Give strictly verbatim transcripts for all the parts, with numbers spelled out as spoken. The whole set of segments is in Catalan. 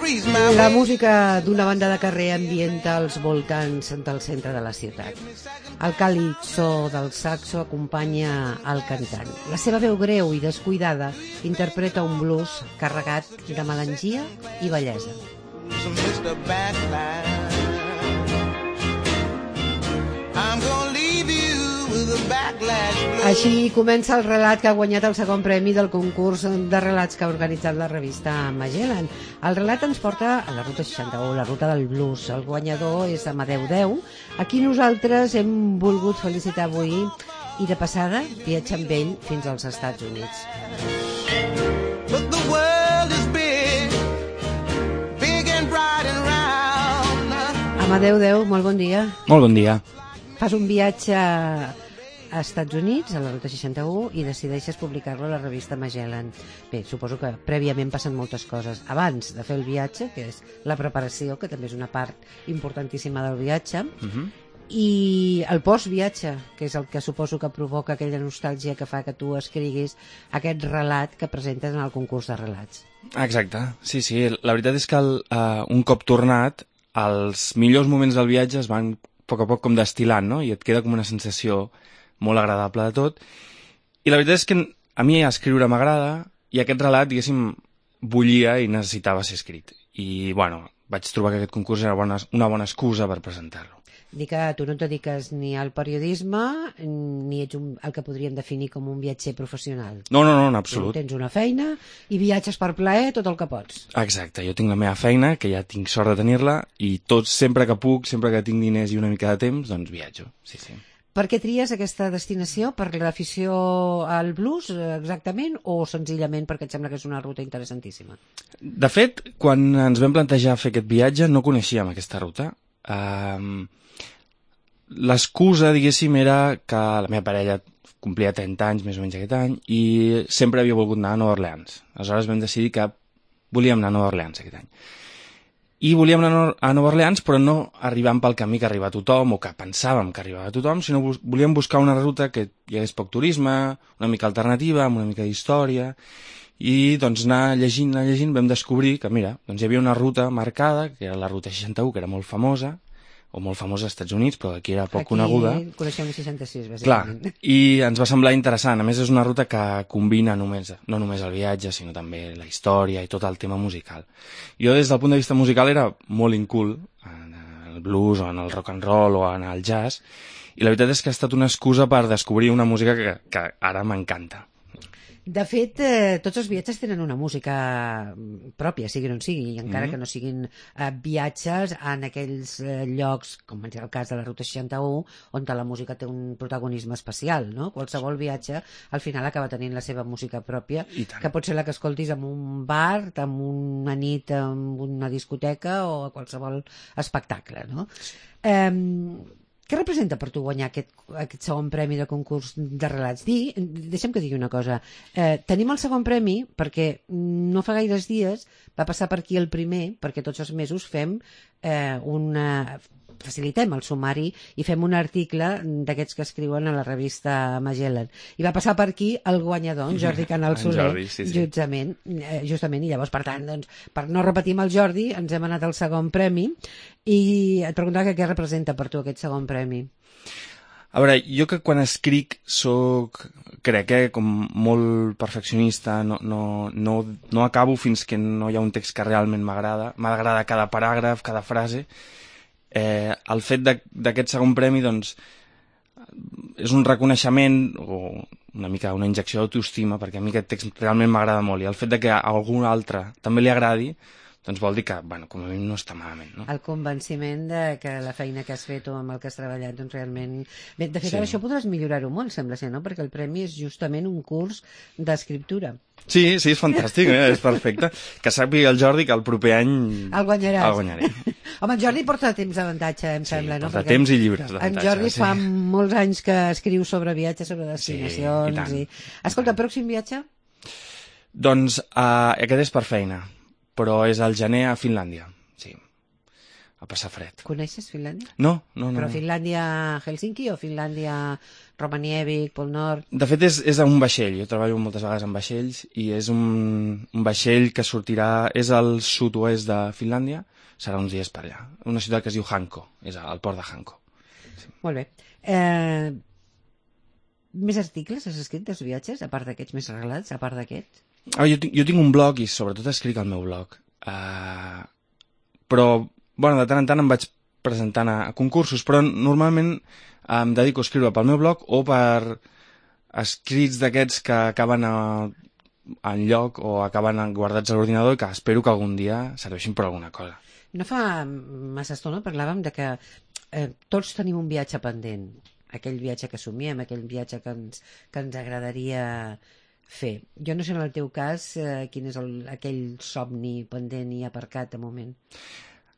La música d'una banda de carrer ambienta els voltants del centre de la ciutat. El càlid so del saxo acompanya el cantant. La seva veu greu i descuidada interpreta un blues carregat de melangia i bellesa. Així comença el relat que ha guanyat el segon premi del concurs de relats que ha organitzat la revista Magellan. El relat ens porta a la ruta seixanta-u, la ruta del blues. El guanyador és Amadeu Deu, a qui nosaltres hem volgut felicitar avui i de passada viatjar amb ell fins als Estats Units. Amadeu Deu, molt bon dia. Molt bon dia. Fas un viatge a Estats Units, a la ruta seixanta-u, i decideixes publicar-lo a la revista Magellan. Bé, suposo que prèviament passen moltes coses. Abans de fer el viatge, que és la preparació, que també és una part importantíssima del viatge, uh-huh. i el post-viatge, que és el que suposo que provoca aquella nostàlgia que fa que tu escriguis aquest relat que presentes en el concurs de relats. Exacte, sí, sí. La veritat és que el, uh, un cop tornat, els millors moments del viatge es van a poc a poc com destil·lant, no? I et queda com una sensació molt agradable de tot. I la veritat és que a mi escriure m'agrada i aquest relat, diguéssim, bullia i necessitava ser escrit. I, bueno, vaig trobar que aquest concurs era bona, una bona excusa per presentar-lo. Dic que tu no et dediques ni al periodisme ni ets un, el que podríem definir com un viatger professional. No, no, no, en absolut. Tu tens una feina i viatges per plaer tot el que pots. Exacte, jo tinc la meva feina, que ja tinc sort de tenir-la, i tot, sempre que puc, sempre que tinc diners i una mica de temps, doncs viatjo, sí, sí. Per què tries aquesta destinació? Per l'afició al blues, exactament, o senzillament perquè et sembla que és una ruta interessantíssima? De fet, quan ens vam plantejar fer aquest viatge, no coneixíem aquesta ruta. Um, L'excusa, diguéssim, era que la meva parella complia trenta anys, més o menys aquest any, i sempre havia volgut anar a Nova Orleans. Aleshores vam decidir que volíem anar a Nova Orleans aquest any. I volíem anar a Nova Orleans, però no arribant pel camí que arriba a tothom, o que pensàvem que arribava a tothom, sinó volíem buscar una ruta que hi hagués poc turisme, una mica alternativa, amb una mica d'història, i doncs anar llegint, anar llegint, vam descobrir que, mira, doncs hi havia una ruta marcada, que era la ruta seixanta-u, que era molt famosa, o molt famosa als Estats Units, però aquí era poc aquí coneguda. Aquí coneixem el seixanta-sis, bàsicament. Clar, i ens va semblar interessant. A més, és una ruta que combina només, no només el viatge, sinó també la història i tot el tema musical. Jo, des del punt de vista musical, era molt incul en el blues, o en el rock and roll, o en el jazz, i la veritat és que ha estat una excusa per descobrir una música que, que ara m'encanta. De fet, eh, tots els viatges tenen una música pròpia, sigui on sigui, i encara mm-hmm. que no siguin eh, viatges en aquells eh, llocs, com és el cas de la Ruta seixanta-u, on la música té un protagonisme especial, no? Qualsevol viatge al final acaba tenint la seva música pròpia, que pot ser la que escoltis en un bar, en una nit, en una discoteca o a qualsevol espectacle, no? Eh, Què representa per tu guanyar aquest, aquest segon premi de concurs de relats? Di, deixa'm que digui una cosa. Eh, tenim el segon premi perquè no fa gaires dies va passar per aquí el primer, perquè tots els mesos fem eh, una... facilitem el sumari i fem un article d'aquests que escriuen a la revista Magellan. I va passar per aquí el guanyador, en Jordi Canal Soler, Jordi, sí, sí. justament, eh, justament, i llavors, per tant, doncs, per no repetir amb el Jordi, ens hem anat al segon premi, i et preguntava que què representa per tu aquest segon premi. A veure, jo que quan escric soc, crec, eh, com molt perfeccionista, no, no, no, no acabo fins que no hi ha un text que realment m'agrada, m'agrada cada paràgraf, cada frase. Eh, el fet d'aquest segon premi, doncs, és un reconeixement o una mica una injecció d'autoestima, perquè a mi aquest text realment m'agrada molt, i el fet de que a algú altre també li agradi, doncs vol dir que, bueno, com a mi no està malament, no? El convenciment de que la feina que has fet o amb el que has treballat, doncs realment... Bé, de fet, sí. Ara això podràs millorar-ho molt, sembla ser, no? Perquè el premi és justament un curs d'escriptura. Sí, sí, és fantàstic, eh? És perfecte. Que sàpiga el Jordi que el proper any... El guanyaràs. El guanyaré. Home, en Jordi porta temps d'avantatge, em sí, sembla, no? porta Perquè temps i llibres d'avantatge. En Jordi sí. fa molts anys que escriu sobre viatges, sobre destinacions... Sí, i tant. I... Escolta, pròxim viatge? Doncs uh, aquest és per feina, però és al gener a Finlàndia, sí, a passar fred. Coneixes Finlàndia? No, no, no. Però Finlàndia Helsinki o Finlàndia Romanièvic, Pol Nord... De fet, és, és un vaixell. Jo treballo moltes vegades amb vaixells i és un, un vaixell que sortirà... És al sud-oest de Finlàndia, serà uns dies per allà. Una ciutat que es diu Hanko, és al port de Hanko. Sí. Molt bé. Eh, més articles has escrit dels viatges, a part d'aquests més relats, a part d'aquests? Ah, jo, tinc, jo tinc un blog i sobretot escric al meu blog. Uh, però, bueno, de tant en tant em vaig presentant a, a concursos, però normalment em dedico a escriure pel meu blog o per escrits d'aquests que acaben a, en lloc o acaben guardats a l'ordinador i que espero que algun dia serveixin per alguna cosa. No fa massa estona parlàvem de que eh, tots tenim un viatge pendent, aquell viatge que somiem, aquell viatge que ens, que ens agradaria fer. Jo no sé en el teu cas eh, quin és el, aquell somni pendent i aparcat de moment.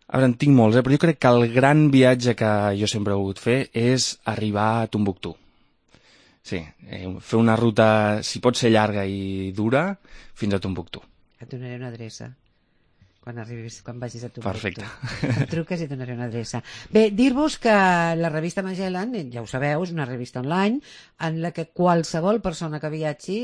A veure, en tinc molts, eh? Però jo crec que el gran viatge que jo sempre he volgut fer és arribar a Tombuctú. Sí, eh, fer una ruta, si pot ser llarga i dura, fins a Tombuctú. Et donaré una adreça quan arribis, quan vagis a Tombuctú. Perfecte. Em truques i et donaré una adreça. Bé, dir-vos que la revista Magellan, ja ho sabeu, és una revista online en la que qualsevol persona que viatgi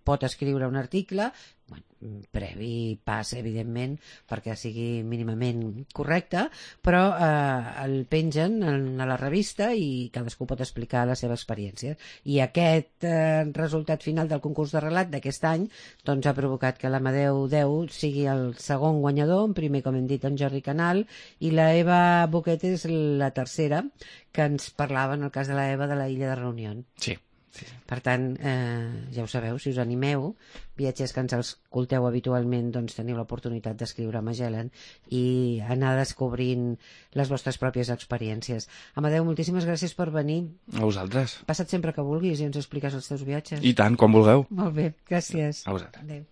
pot escriure un article, bueno, previ pas, evidentment, perquè sigui mínimament correcte, però eh, el pengen a la revista i cadascú pot explicar la seva experiència. I aquest eh, resultat final del concurs de relat d'aquest any doncs ha provocat que l'Amadeu deu sigui el segon guanyador, en primer, com hem dit, en Jordi Canal, i la Eva Boquet és la tercera, que ens parlava, en el cas de la Eva, de la illa de Reunió. Sí. Sí. Per tant, eh, ja ho sabeu, si us animeu, viatgers que ens escolteu habitualment, doncs teniu l'oportunitat d'escriure a Magellan i anar descobrint les vostres pròpies experiències. Amadeu, moltíssimes gràcies per venir. A vosaltres. Passa't sempre que vulguis i ens expliques els teus viatges. I tant, quan vulgueu. Molt bé, gràcies. A vosaltres. Adéu.